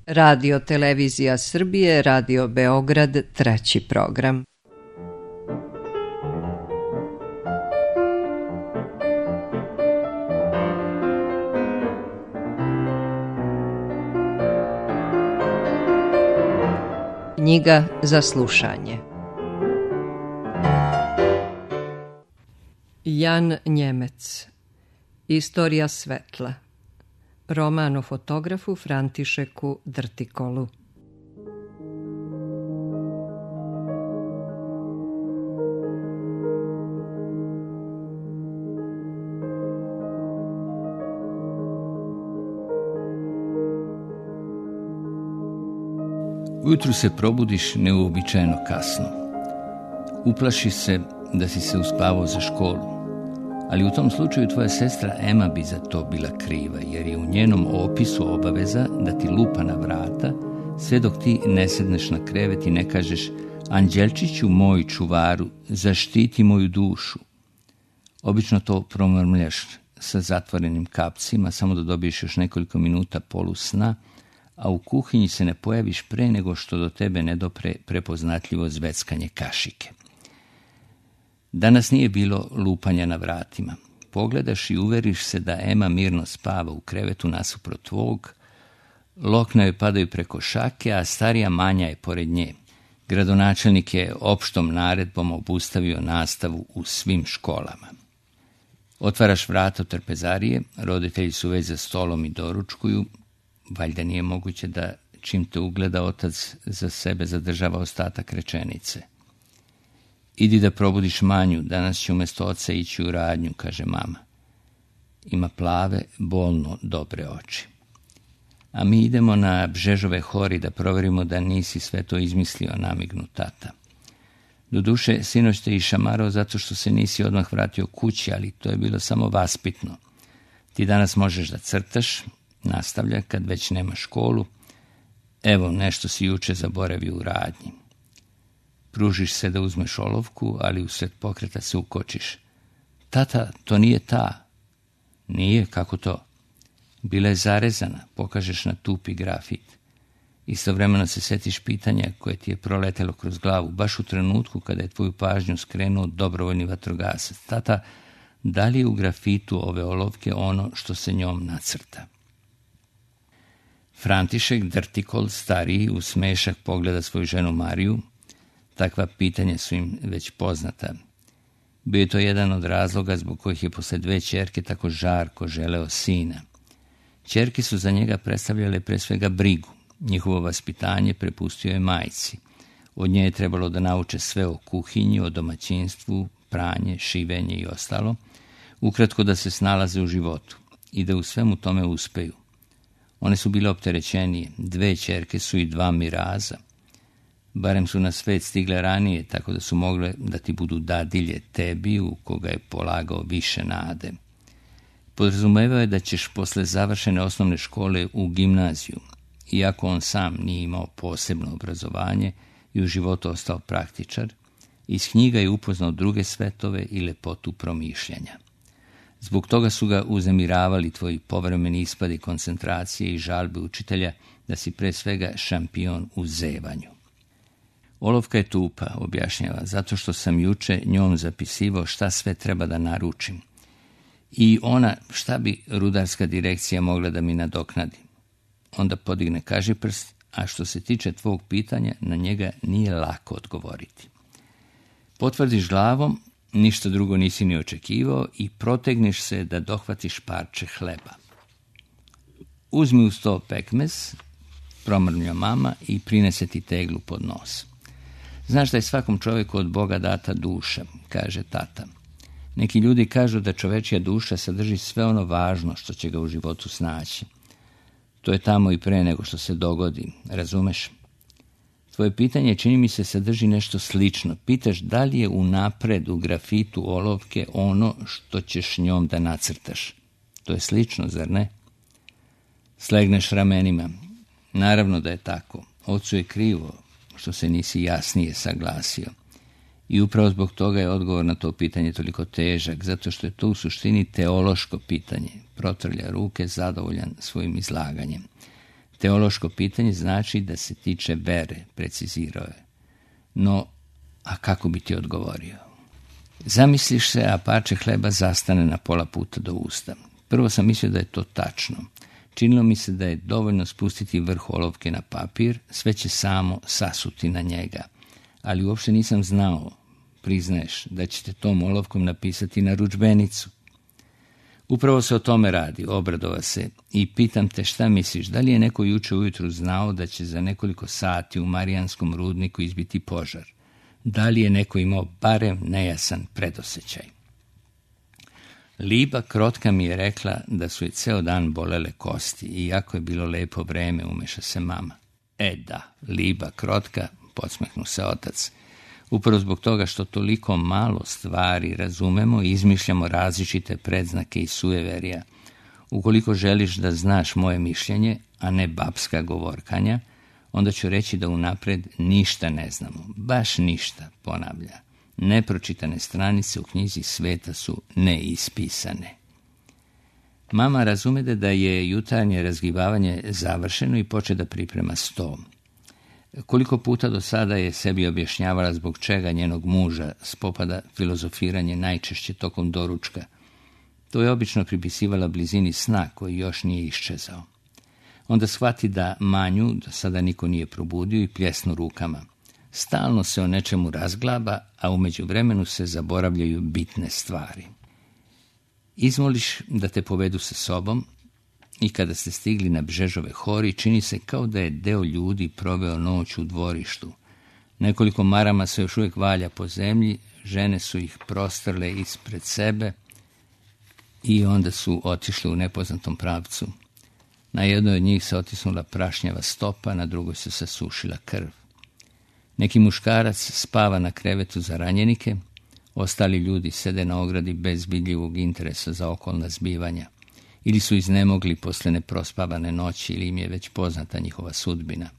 Radio Televizija Srbije, Radio Beograd, treći program. Knjiga za slušanje. Jan Njemec. Istorija svetla. Roman o fotografu Františeku Drtikolu. Ujutru se probudiš neuobičajeno kasno. Uplašiš se da si se uspavao za školu. Ali u tom slučaju tvoja sestra Ema bi za to bila kriva, jer je u njenom opisu obaveza da ti lupa na vrata sve dok ti ne sedneš na krevet i ne kažeš: Anđelčiću moj čuvaru, zaštiti moju dušu. Obično to promrmljaš sa zatvorenim kapcima, samo da dobiješ još nekoliko minuta polusna, a u kuhinji se ne pojaviš pre nego što do tebe ne dopre prepoznatljivo zveckanje kašike. Danas nije bilo lupanja na vratima. Pogledaš i uveriš se da Ema mirno spava u krevetu nasuprot tvog, lokna joj padaju preko šake, a starija Manja je pored nje. Gradonačelnik je opštom naredbom obustavio nastavu u svim školama. Otvaraš vrata od trpezarije, roditelji su već za stolom i doručkuju. Valjda nije moguće da čim te ugleda otac za sebe zadržava ostatak rečenice. Idi da probudiš Manju, danas će umjesto oca ići u radnju, kaže mama. Ima plave, bolno dobre oči. A mi idemo na Bžežove hori da proverimo da nisi sve to izmislio, namignu tata. Doduše, sinoć te išamarao zato što se nisi odmah vratio kući, ali to je bilo samo vaspitno. Ti danas možeš da crtaš, nastavlja kad već nema školu. Evo, nešto si juče zaboravio u radnji. Pružiš se da uzmeš olovku, ali usred pokreta se ukočiš. Tata, to nije ta. Nije, kako to? Bila je zarezana, pokažeš na tupi grafit. Istovremeno se setiš pitanja koje ti je proletelo kroz glavu, baš u trenutku kada je tvoju pažnju skrenuo dobrovoljni vatrogasac. Tata, da li je u grafitu ove olovke ono što se njom nacrta? František Drtikol, stariji, u smešak pogleda svoju ženu Mariju. Takva pitanja su im već poznata. Bio je to jedan od razloga zbog kojih je posle 2 ćerke tako žarko želeo sina. Ćerke su za njega predstavljale pre svega brigu. Njihovo vaspitanje prepustio je majci. Od nje je trebalo da nauče sve o kuhinji, o domaćinstvu, pranje, šivenje i ostalo. Ukratko da se snalaze u životu i da u svemu tome uspeju. One su bile opterećenije. 2 ćerke su i 2 miraza. Barem su na svet stigle ranije, tako da su mogle da ti budu dadilje tebi, u koga je polagao više nade. Podrazumevao je da ćeš posle završene osnovne škole u gimnaziju, iako on sam nije imao posebno obrazovanje i u životu ostao praktičar, iz knjiga je upoznao druge svetove i lepotu promišljanja. Zbog toga su ga uznemiravali tvoji povremeni ispadi koncentracije i žalbe učitelja da si pre svega šampion u zevanju. Olovka je tupa, objašnjava, zato što sam juče njom zapisivao šta sve treba da naručim. I ona, šta bi rudarska direkcija mogla da mi nadoknadi. Onda podigne kažiprst, a što se tiče tvog pitanja, na njega nije lako odgovoriti. Potvrdiš glavom, ništa drugo nisi ni očekivao i protegneš se da dohvatiš parče hleba. Uzmi uz to pekmez, promrmlja mama i prinese ti teglu pod nos. Znaš da je svakom čovjeku od Boga data duša, kaže tata. Neki ljudi kažu da čovečija duša sadrži sve ono važno što će ga u životu snaći. To je tamo i pre nego što se dogodi, razumeš? Tvoje pitanje, čini mi se, sadrži nešto slično. Pitaš da li je unapred u grafitu olovke ono što ćeš njom da nacrtaš. To je slično, zar ne? Slegneš ramenima. Naravno da je tako. Ocu je krivo što se nisi jasnije saglasio. I upravo zbog toga je odgovor na to pitanje toliko težak, zato što je to u suštini teološko pitanje. Protrlja ruke, zadovoljan svojim izlaganjem. Teološko pitanje znači da se tiče vere, precizirao je. No, a kako bi ti odgovorio? Zamisliš se, a parče hleba zastane na pola puta do usta. Prvo sam mislio da je to tačno. Činilo mi se da je dovoljno spustiti vrh olovke na papir, sve će samo sasuti na njega. Ali uopšte nisam znao, priznaješ, da ćete tom olovkom napisati narudžbenicu. Upravo se o tome radi, obradova se, i pitam te šta misliš, da li je neko juče ujutru znao da će za nekoliko sati u Marijanskom rudniku izbiti požar? Da li je neko imao barem nejasan predosjećaj? Liba Krotka mi je rekla da su je ceo dan bolele kosti i jako je bilo lepo vreme, umeša se mama. Da, Liba Krotka, podsmehnu se otac. Upravo zbog toga što toliko malo stvari razumemo i izmišljamo različite predznake i sujeverija. Ukoliko želiš da znaš moje mišljenje, a ne babska govorkanja, onda ću reći da unapred ništa ne znamo. Baš ništa, ponavlja. Nepročitane stranice u knjizi sveta su neispisane. Mama razumede da je jutarnje razgibavanje završeno i poče da priprema sto. Koliko puta do sada je sebi objašnjavala zbog čega njenog muža spopada filozofiranje najčešće tokom doručka. To je obično pripisivala blizini sna koji još nije iščezao. Onda shvati da Manju do sada niko nije probudio i pljesnu rukama. Stalno se o nečemu razglaba, a u međuvremenu se zaboravljaju bitne stvari. Izmoliš da te povedu sa sobom i kada ste stigli na Bžežove hori, čini se kao da je deo ljudi proveo noć u dvorištu. Nekoliko marama se još uvijek valja po zemlji, žene su ih prostrle ispred sebe i onda su otišle u nepoznatom pravcu. Na jednoj od njih se otisnula prašnjava stopa, na drugoj se sasušila krv. Neki muškarac spava na krevetu za ranjenike, ostali ljudi sede na ogradi bez vidljivog interesa za okolna zbivanja. Ili su iznemogli posle neprospavane noći ili im je već poznata njihova sudbina.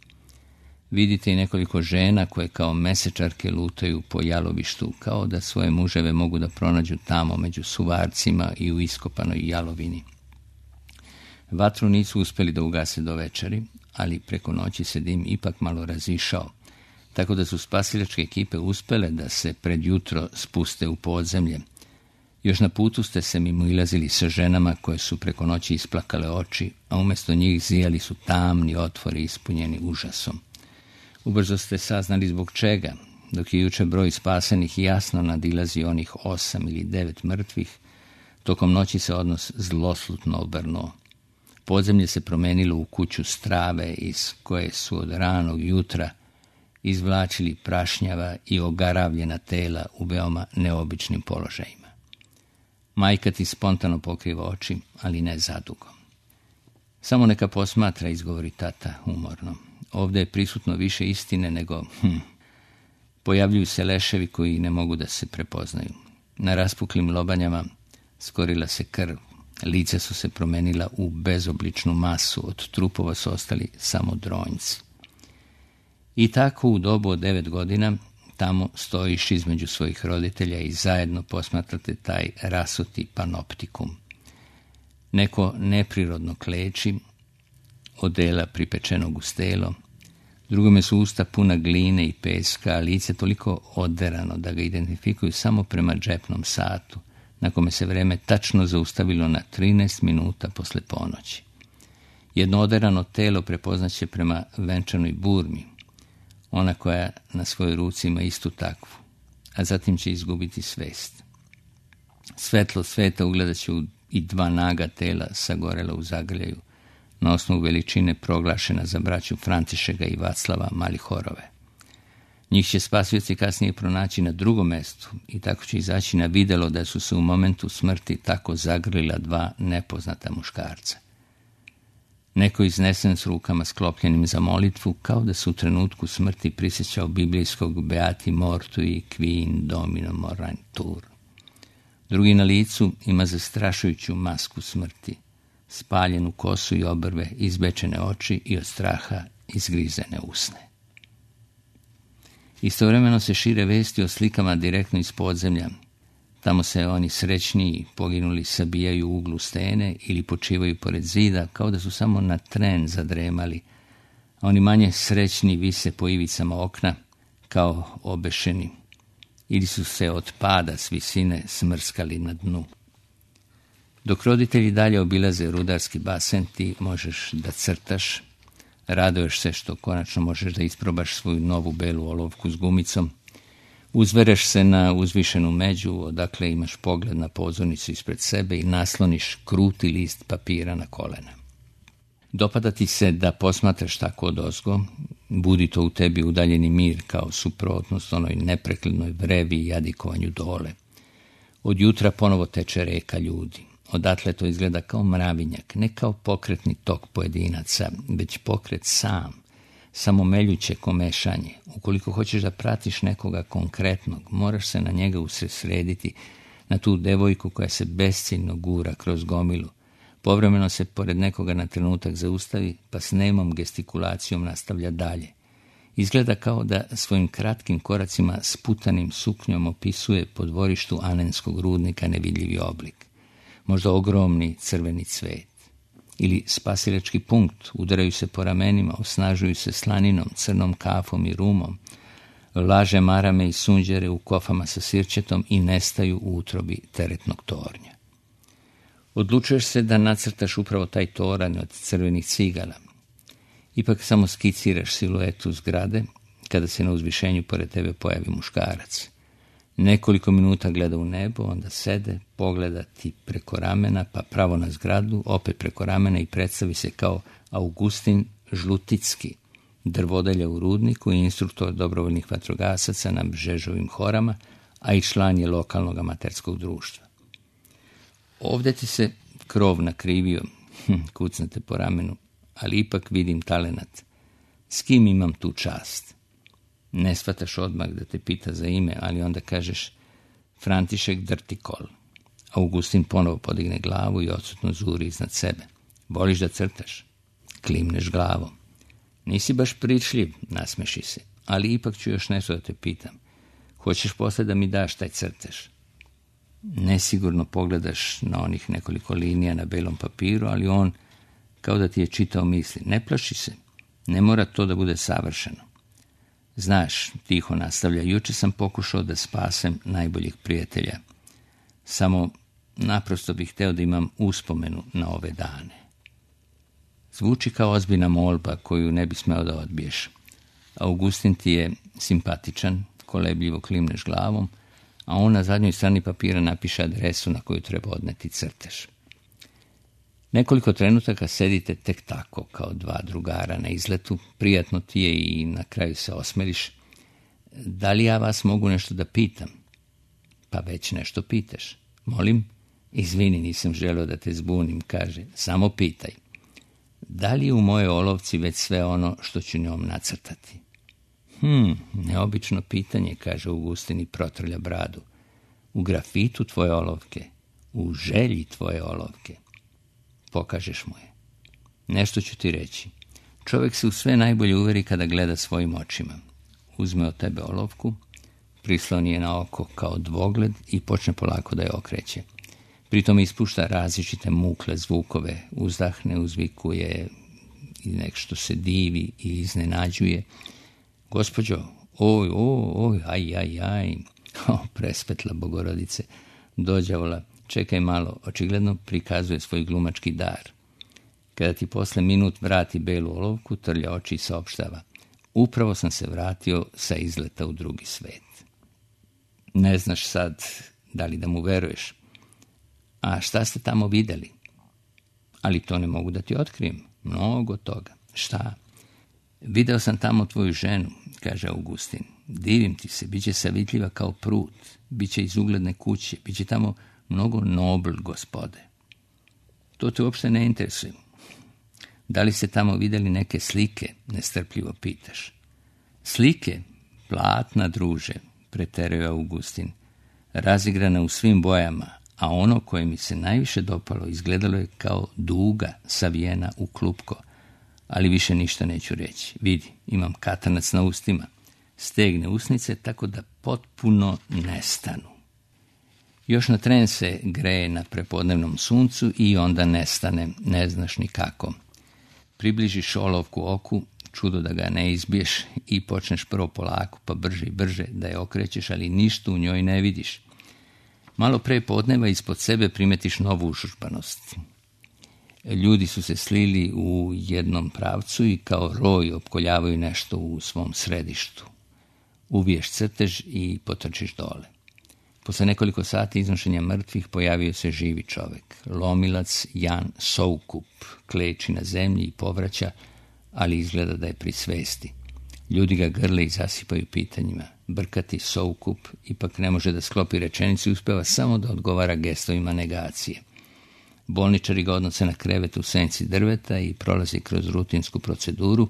Vidite i nekoliko žena koje kao mesečarke lutaju po jalovištu, kao da svoje muževe mogu da pronađu tamo među suvarcima i u iskopanoj jalovini. Vatru nisu uspeli da ugase do večeri, ali preko noći se dim ipak malo razišao, tako da su spasilačke ekipe uspele da se pred jutro spuste u podzemlje. Još na putu ste se mimoilazili sa ženama koje su preko noći isplakale oči, a umjesto njih zijali su tamni otvori ispunjeni užasom. Ubrzo ste saznali zbog čega, dok je juče broj spasenih jasno nadilazi onih 8 ili 9 mrtvih, tokom noći se odnos zloslutno obrnuo. Podzemlje se promenilo u kuću strave iz koje su od ranog jutra izvlačili prašnjava i ogaravljena tela u veoma neobičnim položajima. Majka ti spontano pokriva oči, ali ne zadugo. Samo neka posmatra, izgovori tata umorno. Ovdje je prisutno više istine nego... Pojavljuju se leševi koji ne mogu da se prepoznaju. Na raspuklim lobanjama skorila se krv. Lice su se promenila u bezobličnu masu, od trupova su ostali samo dronjci. I tako u dobu od 9 godina tamo stojiš između svojih roditelja i zajedno posmatrate taj rasuti panoptikum. Neko neprirodno kleči, odela pripečenog u stelo, drugome su usta puna gline i peska, a lice toliko oderano da ga identifikuju samo prema džepnom satu, na kome se vreme tačno zaustavilo na 13 minuta posle ponoći. Jedno oderano telo prepoznaće prema venčanoj burmi, ona koja na svojoj ruci ima istu takvu, a zatim će izgubiti svest. Svetlo sveta ugledat će i 2 naga tela sagorela u zagrljaju, na osnovu veličine proglašena za braću Františeka i Vaclava Malihorove. Njih će spasioci kasnije pronaći na drugom mestu i tako će izaći na videlo da su se u momentu smrti tako zagrlila 2 nepoznata muškarca. Neko iznesen s rukama sklopljenim za molitvu, kao da se u trenutku smrti prisjećao biblijskog Beati mortui quin domino morantur. Drugi na licu ima zastrašujuću masku smrti, spaljenu kosu i obrve, izbečene oči i od straha izgrizene usne. Istovremeno se šire vesti o slikama direktno iz podzemlja. Tamo se oni srećniji, poginuli, sabijaju u uglu stene ili počivaju pored zida, kao da su samo na tren zadremali, a oni manje srećni vise po ivicama okna kao obešeni ili su se od pada s visine smrskali na dnu. Dok roditelji dalje obilaze rudarski basen, ti možeš da crtaš, raduješ se što konačno možeš da isprobaš svoju novu belu olovku s gumicom, uzvereš se na uzvišenu među, odakle imaš pogled na pozornicu ispred sebe i nasloniš kruti list papira na kolena. Dopada ti se da posmatraš tako odozgo, budi to u tebi udaljeni mir kao suprotnost onoj neprekladnoj vrevi i jadikovanju dole. Od jutra ponovo teče reka ljudi. Odatle to izgleda kao mravinjak, ne kao pokretni tok pojedinaca, već pokret sam, samo meljuće komešanje. Ukoliko hoćeš da pratiš nekoga konkretnog, moraš se na njega usredsrediti, na tu devojku koja se besciljno gura kroz gomilu. Povremeno se pored nekoga na trenutak zaustavi, pa s nemom gestikulacijom nastavlja dalje. Izgleda kao da svojim kratkim koracima sputanim suknjom opisuje po dvorištu Anenskog rudnika nevidljivi oblik. Možda ogromni crveni cvet. Ili spasilački punkt, udaraju se po ramenima, osnažuju se slaninom, crnom kafom i rumom, laže marame i sunđere u kofama sa sirćetom i nestaju u utrobi teretnog tornja. Odlučuješ se da nacrtaš upravo taj toranj od crvenih cigala. Ipak samo skiciraš siluetu zgrade kada se na uzvišenju pored tebe pojavi muškarac. Nekoliko minuta gleda u nebo, onda sede, pogleda ti preko ramena, pa pravo na zgradu, opet preko ramena i predstavi se kao Augustin Žluticki, drvodelja u rudniku i instruktor dobrovoljnih vatrogasaca na Bžežovim horama, a i član je lokalnog amaterskog društva. Ovdje ti se krov nakrivio, kucnete po ramenu, ali ipak vidim talenat. S kim imam tu čast? Ne shvataš odmah da te pita za ime, ali onda kažeš František Drtikol. Augustin ponovo podigne glavu i odsutno zuri iznad sebe. Voliš da crtaš? Klimneš glavom. Nisi baš pričljiv, nasmeši se, ali ipak ću još nešto da te pitam. Hoćeš posle da mi daš taj crtež? Nesigurno pogledaš na onih nekoliko linija na belom papiru, ali on kao da ti je čitao misli. Ne plaši se, ne mora to da bude savršeno. Znaš, tiho nastavlja, juče sam pokušao da spasem najboljeg prijatelja. Samo naprosto bih hteo da imam uspomenu na ove dane. Zvuči kao ozbiljna molba koju ne bi smeo da odbiješ. Augustin ti je simpatičan, kolebljivo klimneš glavom, a on na zadnjoj strani papira napiše adresu na koju treba odneti crtež. Nekoliko trenutaka sedite tek tako, kao dva drugara na izletu, prijatno ti je i na kraju se osmeriš. Da li ja vas mogu nešto da pitam? Pa već nešto pitaš. Molim? Izvini, nisam želeo da te zbunim, kaže. Samo pitaj. Da li je u mojoj olovci već sve ono što ću njom nacrtati? Neobično pitanje, kaže Augustin i protrlja bradu. U grafitu tvoje olovke, u želji tvoje olovke. Pokažeš mu je. Nešto ću ti reći. Čovjek se u sve najbolje uveri kada gleda svojim očima. Uzme od tebe olovku, prisloni je na oko kao dvogled i počne polako da je okreće. Pritom ispušta različite mukle zvukove, uzdahne, uzvikuje i nešto se divi i iznenađuje. Gospođo, oj, aj, prespetla Bogorodice, dođavola, čekaj malo, očigledno prikazuje svoj glumački dar. Kada ti posle minut vrati belu olovku, trlja oči i saopštava. Upravo sam se vratio sa izleta u drugi svet. Ne znaš sad da li da mu veruješ. A šta ste tamo videli? Ali to ne mogu da ti otkrijem. Mnogo toga. Šta? Video sam tamo tvoju ženu, kaže Augustin. Divim ti se, bit će savitljiva kao prut, bit će iz ugledne kuće, bit će tamo mnogo nobl gospode. To te uopšte ne interesuje. Da li ste tamo vidjeli neke slike, nestrpljivo pitaš. Slike? Platna, druže, preteruje Augustin. Razigrana u svim bojama, a ono koje mi se najviše dopalo izgledalo je kao duga savijena u klupko. Ali više ništa neću reći. Vidi, imam katanac na ustima. Stegne usnice tako da potpuno nestanu. Još na tren se greje na prepodnevnom suncu i onda nestane, ne znaš ni kako. Približiš olovku oku, čudo da ga ne izbiješ i počneš prvo polako, pa brže i brže da je okrećeš, ali ništa u njoj ne vidiš. Malo pre podneva ispod sebe primetiš novu užurbanost. Ljudi su se slili u jednom pravcu i kao roj opkoljavaju nešto u svom središtu. Uviješ crtež i potrčiš dole. Posle nekoliko sati iznošenja mrtvih pojavio se živi čovek. Lomilac Jan Soukup kleči na zemlji i povraća, ali izgleda da je pri svesti. Ljudi ga grle i zasipaju pitanjima. Brkati Soukup ipak ne može da sklopi rečenicu i uspeva samo da odgovara gestovima negacije. Bolničari ga odnose na krevet u senci drveta i prolazi kroz rutinsku proceduru,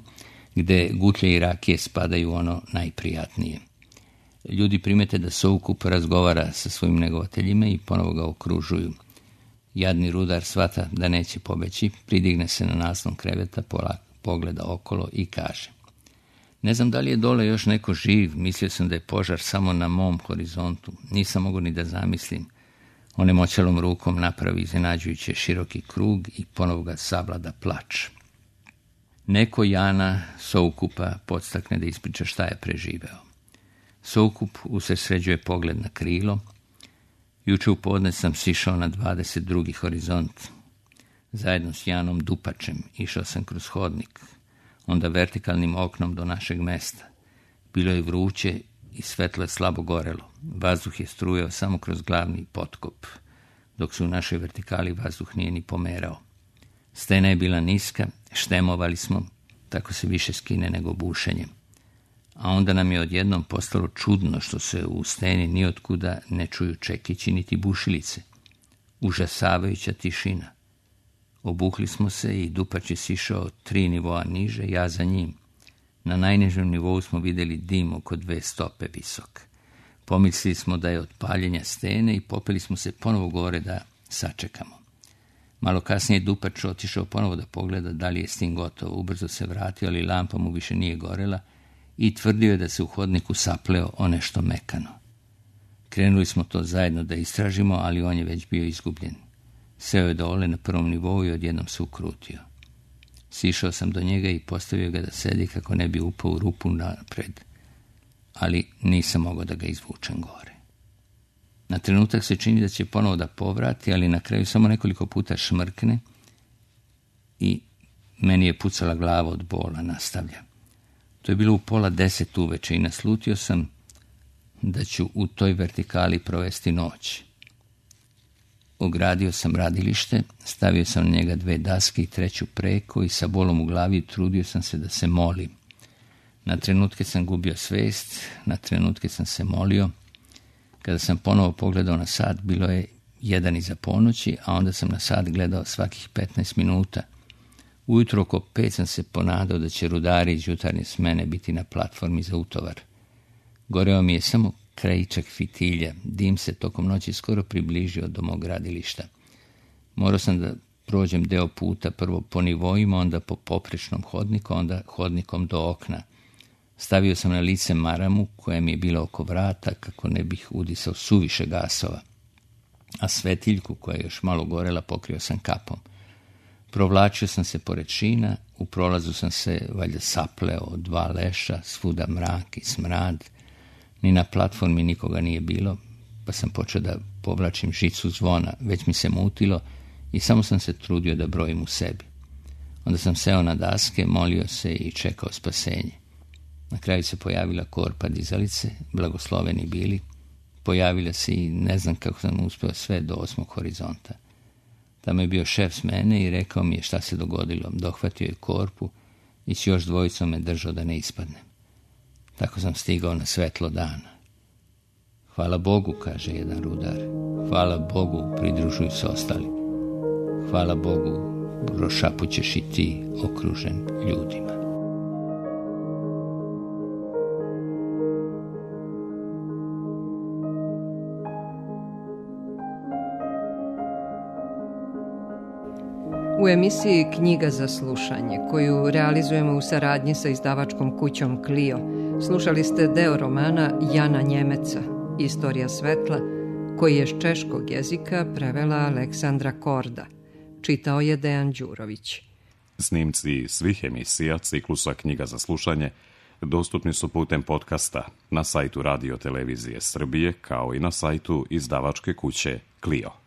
gde gutlje i rakije spadaju ono najprijatnije. Ljudi primete da Soukup razgovara sa svojim negovateljima i ponovo ga okružuju. Jadni rudar shvata da neće pobeći, pridigne se na naslon kreveta, pogleda okolo i kaže: ne znam da li je dole još neko živ, mislio sam da je požar samo na mom horizontu, nisam mogao ni da zamislim. Onemoćalom rukom napravi iznenađujuće široki krug i ponovo ga savlada plač. Neko Jana Soukupa podstakne da ispriča šta je preživeo. Soukup usredsređuje pogled na krilo. Juče u podne sam sišao na 22. horizont. Zajedno s Janom Dupačem išao sam kroz hodnik, onda vertikalnim oknom do našeg mesta. Bilo je vruće i svetlo je slabo gorelo. Vazduh je strujao samo kroz glavni potkop, dok se u našoj vertikali vazduh nije ni pomerao. Stena je bila niska, štemovali smo, tako se više skine nego bušenjem. A onda nam je odjednom postalo čudno što se u steni nijotkuda ne čuju čekići niti bušilice. Užasavajuća tišina. Obukli smo se i Dupač je sišao 3 nivoa niže, ja za njim. Na najnižem nivou smo vidjeli dim oko 2 stope visok. Pomislili smo da je od paljenja stene i popeli smo se ponovo gore da sačekamo. Malo kasnije Dupač otišao ponovo da pogleda da li je s tim gotovo. Ubrzo se vratio, ali lampa mu više nije gorela i tvrdio je da se u hodniku sapleo o nešto mekano. Krenuli smo to zajedno da istražimo, ali on je već bio izgubljen. Seo je dole na prvom nivou i odjednom se ukrutio. Sišao sam do njega i postavio ga da sedi kako ne bi upao u rupu napred, ali nisam mogao da ga izvučem gore. Na trenutak se čini da će ponovo da povrati, ali na kraju samo nekoliko puta šmrkne i meni je pucala glava od bola, nastavlja. To je bilo u 9:30 uveče i naslutio sam da ću u toj vertikali provesti noć. Ogradio sam radilište, stavio sam na njega 2 daske i 3 preko i sa bolom u glavi trudio sam se da se molim. Na trenutke sam gubio svest, na trenutke sam se molio. Kada sam ponovo pogledao na sat, bilo je 1 iza ponoći, a onda sam na sat gledao svakih 15 minuta. Ujutro oko 5 sam se ponadao da će rudari iz jutarnje smene biti na platformi za utovar. Goreo mi je samo krajičak fitilja, dim se tokom noći skoro približio do mog gradilišta. Morao sam da prođem deo puta, prvo po nivoima, onda po poprečnom hodniku, onda hodnikom do okna. Stavio sam na lice maramu koja mi je bila oko vrata kako ne bih udisao suviše gasova, a svetiljku koja je još malo gorela pokrio sam kapom. Provlačio sam se pored šina, u prolazu sam se valjda sapleo od 2 leša, svuda mrak i smrad. Ni na platformi nikoga nije bilo, pa sam počeo da povlačim žicu zvona, već mi se mutilo i samo sam se trudio da brojim u sebi. Onda sam seo na daske, molio se i čekao spasenje. Na kraju se pojavila korpa dizalice, blagosloveni bili. Pojavila se i ne znam kako sam uspeo sve do 8. horizonta. Tamo je bio šef smene i rekao mi je šta se dogodilo. Dohvatio je korpu i s još 2 me držao da ne ispadnem. Tako sam stigao na svetlo dana. Hvala Bogu, kaže jedan rudar. Hvala Bogu, pridružuju se ostali. Hvala Bogu, prošapućeš i ti okružen ljudima. U emisiji Knjiga za slušanje, koju realizujemo u saradnji sa izdavačkom kućom Clio, slušali ste deo romana Jana Njemeca, Istorija svetla, koji je s češkog jezika prevela Aleksandra Korda. Čitao je Dejan Đurović. Snimci svih emisija ciklusa Knjiga za slušanje dostupni su putem podcasta na sajtu Radio Televizije Srbije kao i na sajtu izdavačke kuće Clio.